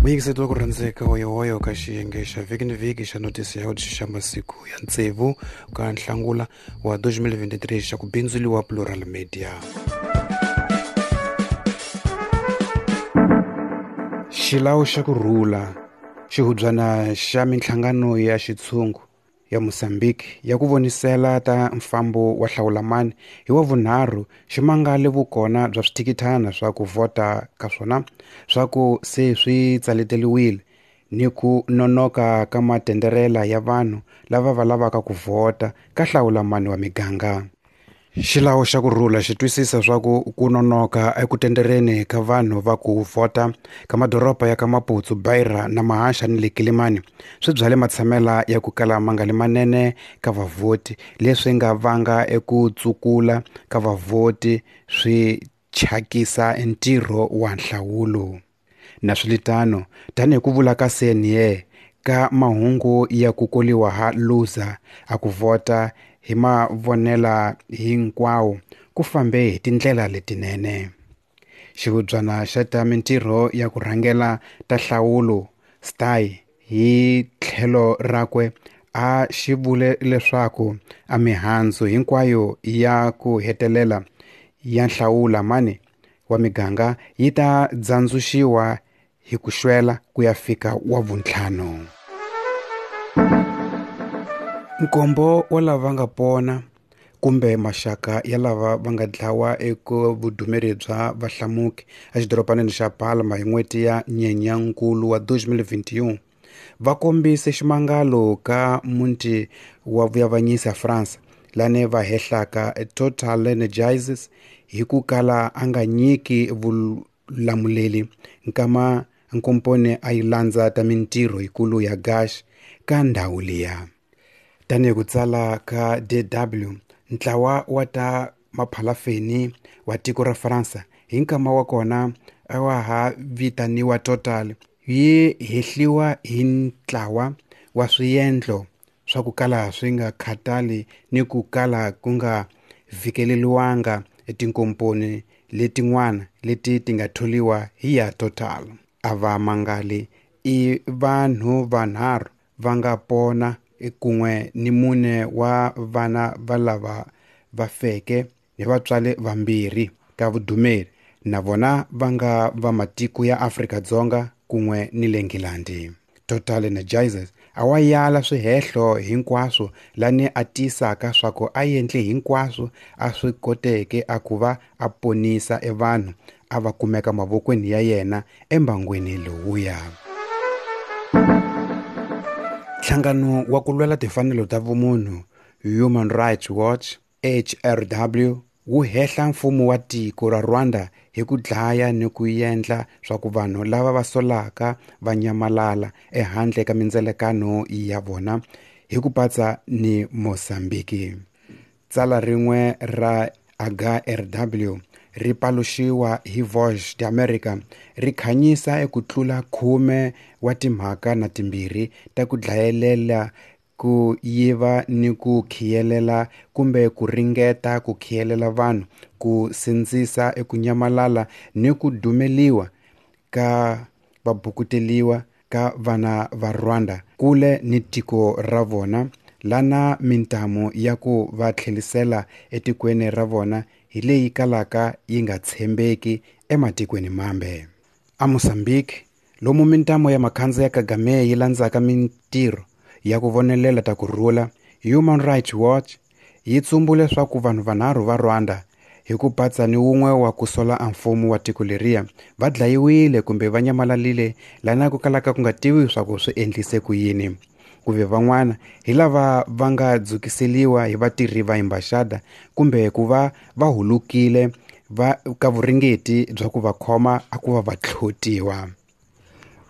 Muyingiseti wa ku rhandzeka hoyohoyo ka xiyenge xa vhiki ni vhiki xa notisi ya xa masiku ya tsevu ka nhlangula wa 2023 xa ku bindzuliwa Plural Media. Xilawu xa ku rhula xihubyana xa minhlangano ya xitshungu ya Mozambique ya ku vonisela ta mfambo wa hlawulamani hi wa vunharhu xi mangale vukona bya swithikithana swa ku vhota ka swona swa ku se swi tsaleteliwile ni ku nonoka ka matenderela ya vanhu lava va lavaka ku vhota ka hlawulamani wa miganga. Xilawu xa ku rhula xi twisisa swa ku ku nonoka eku tendereni ka vanhu va ku vhota ka madoroba ya ka Maputo, Beira na Mahaxa ni le Kilimani swi byale matshamela ya ku kala ma nga li manene ka vavhoti leswi nga vanga eku tsukula ka vavhoti swi thyakisa ntirho wa nhlawulo. Naswilitano, tanihi ku vula ka CNA ka mahungu ya ku koliwa ha Lusa a ku vhota hi mavonela hinkwawo ku fambe hi tindlela letinene. Xihubyana xa ta mintirho ya ku rhangela ta nhlawulo STAI hi tlhelo rakwe a xi vule leswaku a mihandzu hinkwayo ya ku hetelela ya nhlawulamani wa miganga yi ta dzandzuxiwa hi ku xwela ku ya fika wa vuntlhanu. Nkombo wa lava nga pona kumbe maxaka ya lava va nga dlawa eka vudumeri bya vahlamuki exidorobanini xa Palma hi n'hweti ya Nyenyankulu wa 2021 va kombise ximangalo ka muti wa vuyavanyisi ya France lane va hehlaka Total Energies hi ku kala a nga nyiki vulamuleli nkama nkomponi a yi landza ta mintirho yikulu ya gas ka ndhawu liya. Tanihi ku tsala ka DW, ntlawa wa ta maphalafeni wa tiko ra Faransa hi nkama wa kona a wa ha vitaniwa Total yi hehliwa hi ntlawa wa swiendlo swa ku kala swi nga khatali ni ku kala ku nga vhikeleliwanga etinkomponi letin'wana leti ti nga tholiwa hi ya Total. A va mangali i vanhu vanharhu va nga pona kun'we ni mune wa vana va lava va feke ni vatswari vambirhi ka vudumeri na vona va nga va matiko ya Afrika-Dzonga kun'we ni le Nghilandhi. Total Energizers a wa yala swihehlo hinkwaswo lani a tiyisaka swa ku a endle hinkwaswo a swi koteke a ku va a ponisa evanhu a va kumeka mavokweni ya yena embangwini lowuya. Nhlangano wa ku lwela timfanelo ta vumunhu Human Rights Watch HRW wu hehla mfumo wa tiko ra Rwanda hi ku dlaya ni ku endla swa ku vanhu lava va solaka va nyamalala ehandle ka mindzelekano ya vona hi ku patsa ni Mozambique. Tsala rin'we ra HRW ri paluxiwa hi Voice d'America ri khanyisa eku tlula 10 wa timhaka na timbirhi ta ku dlayelela ku yiva ni ku khiyelela kumbe ku ringeta ku khiyelela vanhu ku sindzisa eku nyamalala ni ku dumeliwa ka vabukuteliwa ka vana va Rwanda kule ni tiko ra vona lana mintamu ya ku va tlhelisela etikweni ra vona hi leyi kalaka yi nga tshembeki ematikweni mambe. A Mozambique lomu mintamu ya makhandza ya Kagame yi landzaka mintirho ya ku vonelela ta ku rhula, Human Rights Watch yi tsumbule swa ku vanhu vanharhu va Rwanda hi ku patsa ni wun'we wa ku sola a mfumo wa tiko leriya va dlayiwile kumbe va nyamalalile lana ku kalaka ku nga tiviwi swa ku swi endlise ku yini. Kuve van'wana hi lava va nga dzukiseliwa hi vatirhi va embaxada kumbe ku va va hulukile va ka vuringeti bya ku va khoma a ku va va tlhotiwa.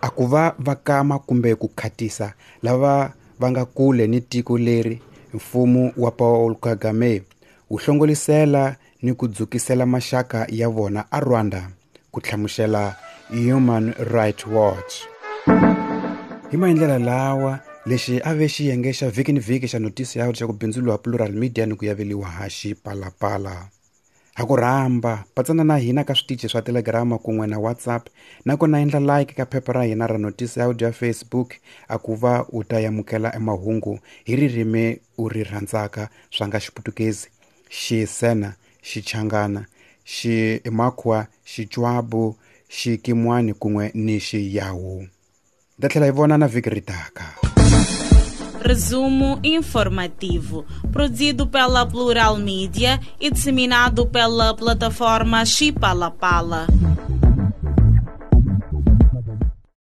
A ku va va kama kumbe ku khatisa lava va nga kule ni tiko leri mfumo wa Paul Kagame wu hlongolisela ni ku dzukisela maxaka ya vona a Rwanda, ku hlamusela Human Rights Watch. Hi maendlela lawa lexi a ve xiyenge xa vhiki ni vhiki xa notisi ya xa ku bindzuriwa Plural Media ni ku yaveliwa ha Xipalapala. Ha ku rhamba patsana na hina ka switichi swa Telegrama kun'we na WhatsApp, nakona endla like ka phepha ra hina ra Notice Audio ya Facebook a ku va u ta yamukela emahungu hi ririmi u ri rhandzaka swa nga Xiputukezi, Xisena, Xichangana, Ximakhwa, Xicwabu, Xikimwani kun'we ni Xiyawu. Ta tlhela hi vonana vhiki ri taka. Resumo informativo, produzido pela Plural Mídia e disseminado pela plataforma Chipalapala.